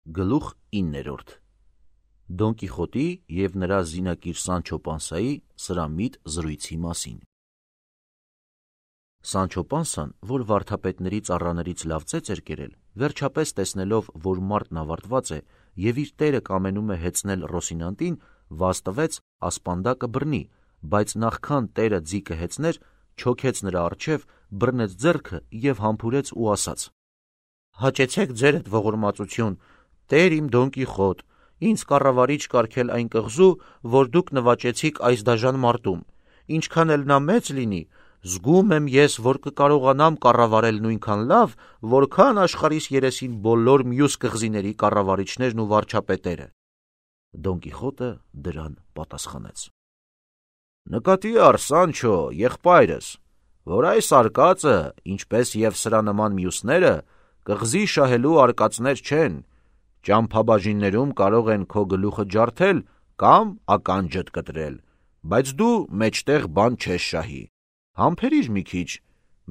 Գլուխ 9. Դոն Կիխոտի և նրա զինակիր Սանչո Պանսայի սրամիտ զրույցի մասին։ Սանչո Պանսան, որ վարդապետների ծառաներից լավ ծեծ էր կերել, վերջապես տեսնելով, որ մարտն ավարտված է և իր տերը կամենում է հեծնել Ռոսինանտին, վազ տվեց ասպանդակը բռնի, բայց նախքան տերը ձիկը հեծներ, չոքեց նրա առջև, բռնեց ձեռքը և համբուրեց ու ասաց. «Հաճեցեք ձերդ ողորմածություն, տեր իմ Դոն Կիխոտ, ինձ կառավարիչ կարգել այն կղզու, որ դուք նվաճեցիք այս դաժան մարտում, ինչքան էլ նա մեծ լինի, զգում եմ ես, որ կկարողանամ կառավարել նույնքան լավ, որքան աշխարհիս երեսին բոլոր մյուս կղզիների կառավարիչներն ու վարչապետերը»։ Դոն Կիխոտը դրան պատասխանեց. «Նկատի առ, Սանչո, եղբայրս, որ այս արկածը, ինչպես և սրա նման մյուսները, կղզի շահելու արկածներ չեն, ճամփաբաժիններում կարող են քո գլուխը ջարդել կամ ականջդ կտրել, բայց դու մեջտեղ բան չես շահի, համբերիր մի քիչ,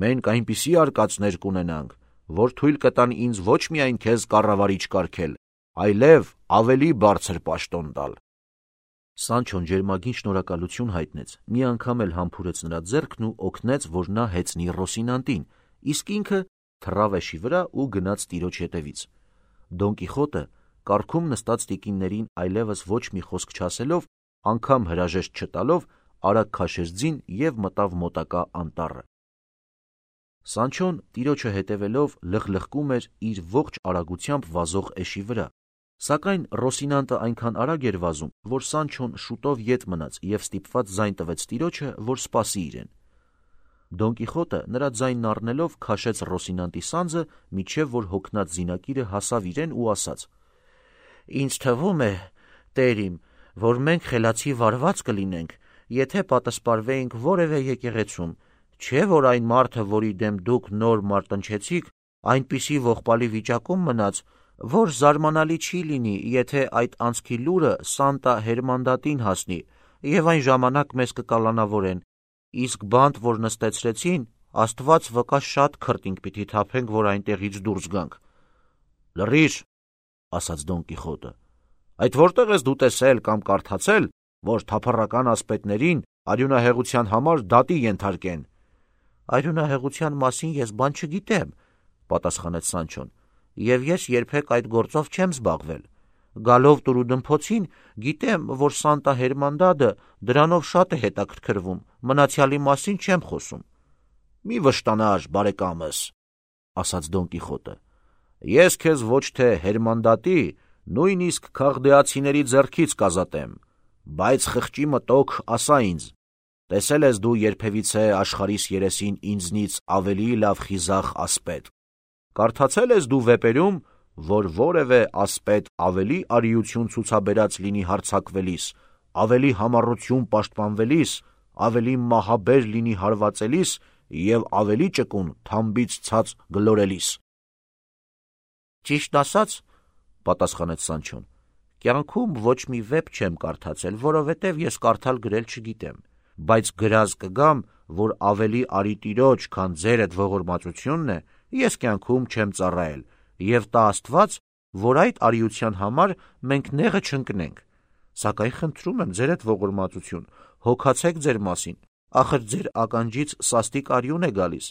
մենք այնպիսի արկածներ կունենանք, որ թույլ կտան ինձ ոչ միայն քեզ կառավարիչ կարգել, այլև ավելի բարձր պաշտոն տալ»։ Սանչոն ջերմագին շնորհակալություն հայտնեց, մի անգամ էլ համբուրեց նրա ձեռքն ու օգնեց, որ նա հեծնի Ռոսինանտին, իսկ ինքը թռավ էշի վրա ու գնաց տիրոջ հետևից։ Դոն Կիխոտը, կառքում նստած տիկիններին այլևս ոչ մի խոսք չասելով, անգամ հրաժեշտ չտալով, արագ քաշեց ձին և մտավ մոտակա անտառը։ Սանչոն տիրոջը հետևելով լխլխկում էր իր ողջ արագությամբ վազող էշի վրա, սակայն Ռոսինանտը այնքան արագ էր վազում, որ Սանչոն շուտով ետ մնաց և ստիպված ձայն տվեց տիրոջը, որ սպասի իրեն։ Դոն Կիխոտը նրա ձայնն առնելով քաշեց Ռոսինանտի սանձը, մինչև որ հոգնած զինակիրը հասավ իրեն ու ասաց. «Ինձ թվում է, տեր իմ, որ մենք խելացի վարված կլինենք, եթե պատասպարվեինք որևէ եկեղեցում, չէ՞ որ այն մարդը, որի դեմ դուք նոր մարտնչեցիք, այնպիսի ողբալի վիճակում մնաց, որ զարմանալի չի լինի, եթե այդ անցքի լուրը Սանտա Հերմանդատին հասնի, և այն ժամանակ մեզ կկալանավորեն, իսկ բանտ, որ նստեցրեցին, Աստված վկա շատ քրտինք պիտի թափենք, որ այնտեղից դուրս գանք»։ «Լռիր», ասաց Դոն Կիխոտը, «այդ որտեղ ես դու տեսել կամ կարդացել, որ թափառական ասպետներին արյունահեղության համար դատի ենթարկեն»։ «Արյունահեղության մասին ես բան չգիտեմ», պատասխանեց Սանչոն, «և ես երբեք այդ գործով չեմ զբաղվել։ Գալով Տուրուդմփոցին, գիտեմ, որ Սանտա Հերմանդադը դրանով շատ է հետաքրքրվում, մնացյալի մասին չեմ խոսում»։ «Մի վշտանար, բարեկամս», ասաց Դոն Կիխոտը, «ես քեզ ոչ թե Հերմանդատի, նույնիսկ քաղդեացիների ձեռքից կազատեմ, բայց խղճի մտոք ասա ինձ, տեսել ես դու երբևիցե աշխարհիս երեսին ինձնից ավելի լավ խիզախ ասպետ, կարդացել ես դու վեպերում, որ որևէ ասպետ ավելի արիություն ցուցաբերած լինի հարձակվելիս, ավելի համառություն պաշտպանվելիս, ավելի մահաբեր լինի հարվածելիս և ավելի ճկուն թամբից ցած գլորելիս»։ «Ճիշտ ասած, պատասխանեց Սանչոն, կյանքում ոչ մի վեպ չեմ կարդացել, որովհետև ես կարդալ գրել չգիտեմ, բայց գրած կգամ, որ ավելի արի տիրոջ, քան ձերդ ողորմածությունն է, ես կյանքում չեմ ծառայել, և տա Աստված, որ այդ արիության համար մենք նեղը չընկնենք, սակայն խնդրում եմ ձերդ ողորմածություն, հոգացեք ձեր մասին, ախր ձեր ականջից սաստիկ արյուն է գալիս,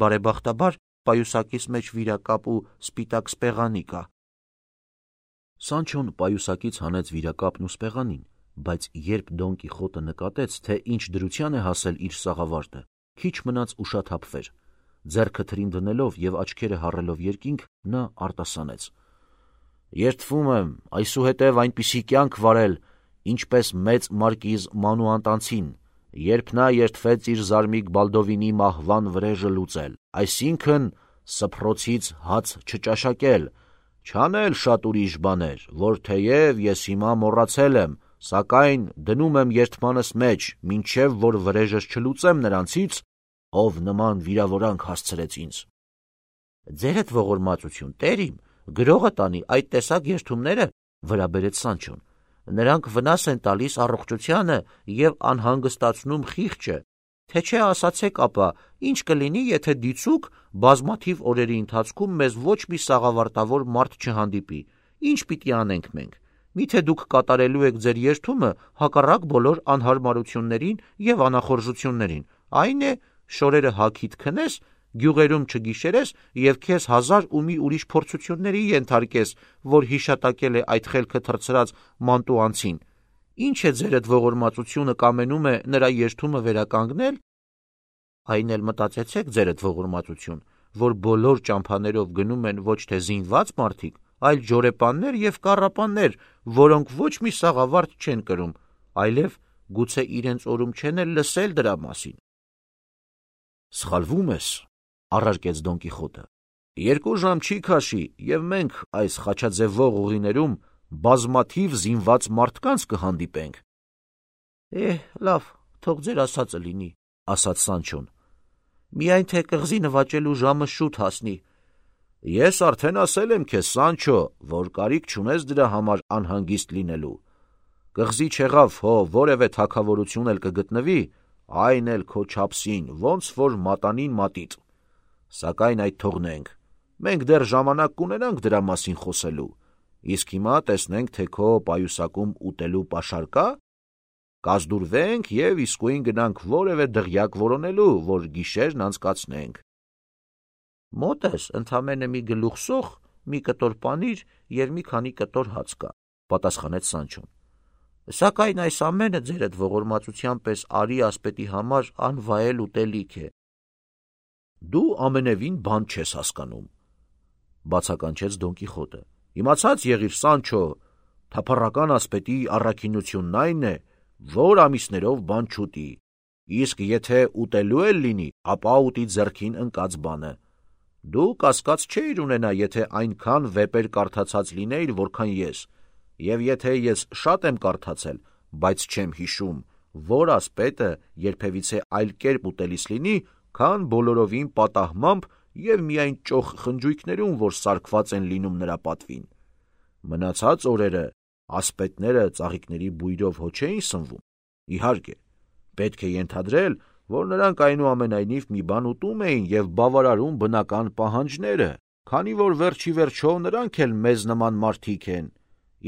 բարեբախտաբար պայուսակիս մեջ վիրակապ ու սպիտակ սպեղանի կա»։ Սանչոն պայուսակից հանեց վիրակապն ու սպեղանին, բայց երբ Դոն Կիխոտը նկատեց, թե ինչ դրության է հասել իր սաղավարտը, քիչ մնաց ուշաթափվեր։ Ձեռքը թրին դնելով և աչքերը հառելով երկինք, նա արտասանեց. «Երդվում եմ այսուհետև այնպիսի կյանք վարել, ինչպես մեծ մարկիզ Մանուանտանցին, երբ նա երդվեց իր զարմիկ Բալդովինի մահվան վրեժը լուծել, այսինքն սփռոցից հաց չճաշակել, չանել շատ ուրիշ բաներ, որ թեև ես հիմա մոռացել եմ, սակայն դնում եմ երդմանս մեջ, մինչև որ վրեժս չլուծեմ նրանցից, ով նման վիրավորանք հասցրեց ինձ»։ «Ձերդ ողորմածություն, տեր իմ, գրողը տանի այդ տեսակ երդումները», վրա բերեց Սանչոն, «նրանք վնաս են տալիս առողջությանը և անհանգստացնում խիղճը, թե չէ ասացեք ապա, ինչ կլինի, եթե դիցուք բազմաթիվ օրերի ընթացքում մեզ ոչ մի սաղավարտավոր մարդ չհանդիպի, Ինչ պիտի անենք մենք։ Միթե դուք կատարելու եք ձեր երդումը հակառակ բոլոր անհարմարություններին և անախորժություններին, այն է, շորերը հագիդ քնես, գյուղերում չգիշերես և քեզ 1000 ու մի ուրիշ փորձությունների ենթարկես, որ հիշատակել է այդ խելքը թռցրած մանտուանցին։ Ինչ է ձերդ ողորմածությունը կամենում է նրա երդումը վերականգնել։ Այն էլ մտածեցեք ձերդ ողորմածություն, որ բոլոր ճամփաներով գնում են ոչ թե զինված մարդիկ, այլ ջորեպաններ և կառապաններ, որոնք ոչ մի սաղավարտ չեն կրում, այլև գուցե իրենց օրում չեն էլ լսել դրա մասին։ Սխալվում ես, առարկեց Դոն Կիխոտը։ 2 ժամ չի քաշի, և մենք այս խաչաձևող ուղիներում բազմաթիվ զինված մարդկանց կհանդիպենք։ Լավ, թող ձեր ասածը լինի, ասաց Սանչոն։ Միայն թե կղզի նվաճելու ժամը շուտ հասնի։ Ես արդեն ասել եմ քեզ, Սանչո, որ կարիք չունես դրա համար անհանգիստ լինելու։ Կղզի չեղավ հո որևէ թագավորություն էլ կգտնվի, այն էլ քո չափսին, ոնց որ մատանին մատիտ։ Սակայն այդ թողնենք, մենք դեռ ժամանակ կունենանք դրա մասին խոսելու, իսկ հիմա տեսնենք, թե քո պայուսակում ուտելու պաշար կա, կազդուրվենք և իսկույն գնանք որևէ դղյակ որոնելու, որ գիշերն անցկացնենք։ Մոտ ես ընդամենը մի գլուխ սոխ, մի կտոր պանիր և մի քանի կտոր հաց կա, պատասխանեց Սանչոն։ Սակայն այս ամենը ձերդ ողորմածության պես արի ասպետի համար անվայել ուտելիք է։ Դու ամենևին բան չես հասկանում, բացականչեց Դոն Կիխոտը։ Իմացած եղիր, Սանչո, թափառական ասպետի առաքինությունն այն է, որ ամիսներով բան չուտի, իսկ եթե ուտելու էլ լինի, ապա ուտի ձեռքին ընկած բանը։ Դու կասկած չէիր ունենա, եթե այնքան վեպեր կարդացած լինեիր, որքան ես, և եթե ես շատ եմ կարդացել, բայց չեմ հիշում, որ ասպետը երբևիցե այլ կերպ ուտելիս լինի, քան բոլորովին պատահմամբ և միայն ճոխ խնջույքներում, որ սարքված են լինում նրա պատվին։ Մնացած օրերը ասպետները ծաղիկների բույրով հո չէին սնվում։ Իհարկե, պետք է ենթադրել, որ նրանք այնուամենայնիվ մի բան ուտում էին և բավարարում բնական պահանջները, քանի որ վերջի վերջո նրանք էլ մեզ նման մարդիկ են,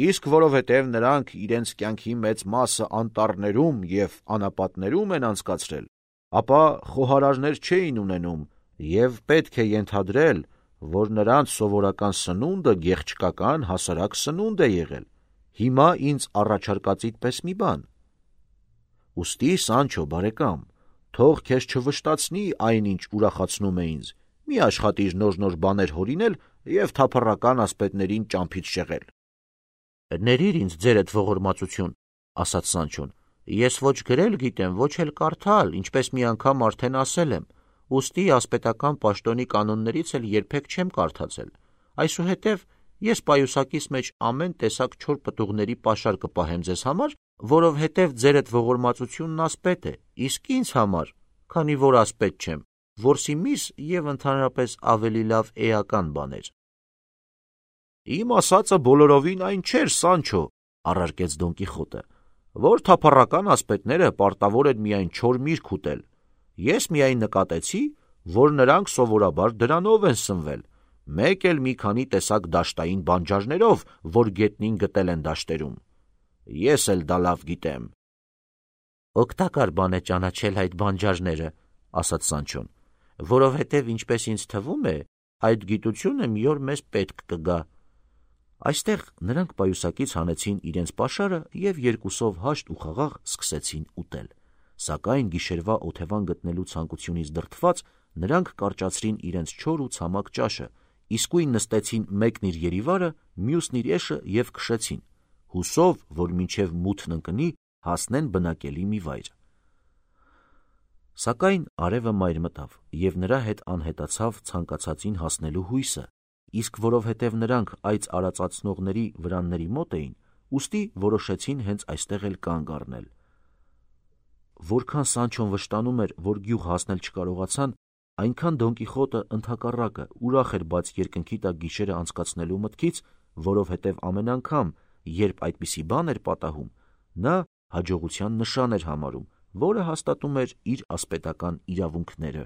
իսկ որովհետև նրանք իրենց կյանքի մեծ մասը անտառներում և անապատներում են անցկացրել, ապա խոհարարներ չէին ունենում, և պետք է ենթադրել, որ նրանց սովորական սնունդը գեղչկական հասարակ սնունդ է եղել։ Հիմա ինձ առաջարկածիդ պես մի բան։ Ուստի, Սանչո բարեկամ, թող քեզ չվշտացնի այն, ինչ ուրախացնում է ինձ, մի աշխատիր նոր բաներ հորինել և թափառական ասպետներին ճամփից շեղել։ Ներիր ինձ ձերդ ողորմածություն, ասաց Սանչոն, ես ոչ գրել գիտեմ, ոչ էլ կարդալ, ինչպես մի անգամ արդեն ասել եմ, ուստի ասպետական պաշտոնի կանոններից էլ երբեք չեմ կարդացել, այսուհետև ես պայուսակիս մեջ ամեն տեսակ չոր պտուղների պաշար կպահեմ ձեզ համար, որովհետև ձերդ ողորմածությունն ասպետ է, իսկ ինձ համար, քանի որ ասպետ չեմ, որսի միս և ընդհանրապես ավելի լավ էական բաներ։ Իմ ասածը բոլորովին այն չէր, Սանչո, առարկեց Դոն Կիխոտը, որ թափառական ասպետները պարտավոր են միայն չոր միրգ ուտել։ Ես միայն նկատեցի, որ նրանք սովորաբար դրանով են սնվել, մեկ էլ մի քանի տեսակ դաշտային բանջարներով, որ գետնին գտել են դաշտերում։ Ես էլ դա լավ գիտեմ։ Օգտակար բան է ճանաչել այդ բանջարները, ասաց Սանչոն, որովհետև ինչպես ինձ թվում է, այդ գիտությունը մի օր մեզ պետք կգա։ Այստեղ նրանք պայուսակից հանեցին իրենց պաշարը և երկուսով հաշտ ու խաղաղ սկսեցին ուտել, սակայն գիշերվա օթևան գտնելու ցանկությունից դրդված նրանք կարճացրին իրենց չոր ու ցամաք ճաշը, իսկույն նստեցին մեկն իր երիվարը, մյուսն իր էշը և քշեցին, հուսով, որ մինչև մութն ընկնի, հասնեն բնակելի մի վայր։ Սակայն արևը մայր մտավ, և նրա հետ անհետացավ ցանկացածին հասնելու հույսը, իսկ որովհետև նրանք այծ արածացնողների վրանների մոտ էին, ուստի որոշեցին հենց այստեղ էլ կանգ առնել։ Որքան Սանչոն վշտանում էր, որ գյուղ հասնել չկարողացան, այնքան Դոն Կիխոտը ընդհակառակը ուրախ էր բաց երկնքի տակ գիշերը անցկացնելու մտքից, որովհետև ամեն անգամ, երբ այդպիսի բան էր պատահում, նա հաջողության նշան էր համարում, որը հաստատում էր իր ասպետական իրավունքները։